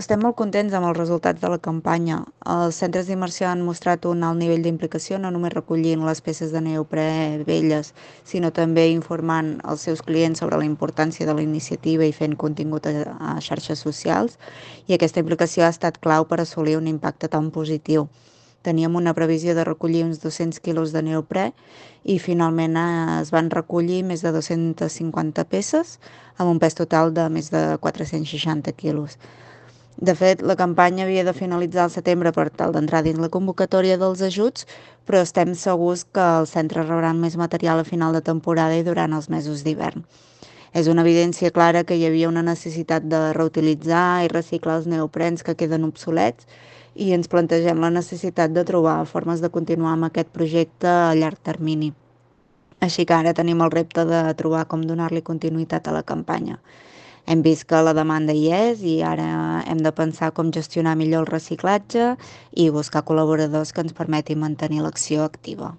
Estem molt contents amb els resultats de la campanya. Els centres d'immersió han mostrat un alt nivell d'implicació, no només recollint les peces de neoprè velles, sinó també informant els seus clients sobre la importància de la iniciativa i fent contingut a xarxes socials, i aquesta implicació ha estat clau per assolir un impacte tan positiu. Teníem una previsió de recollir uns 200 quilos de neoprè i finalment es van recollir més de 250 peces amb un pes total de més de 460 quilos. De fet, la campanya havia de finalitzar al setembre per tal d'entrar dins la convocatòria dels ajuts, però estem segurs que els centres rebran més material a final de temporada i durant els mesos d'hivern. És una evidència clara que hi havia una necessitat de reutilitzar i reciclar els neoprens que queden obsolets i ens plantegem la necessitat de trobar formes de continuar amb aquest projecte a llarg termini. Així que ara tenim el repte de trobar com donar-li continuïtat a la campanya. Hem vist que la demanda hi és i ara hem de pensar com gestionar millor el reciclatge i buscar col·laboradors que ens permetin mantenir l'acció activa.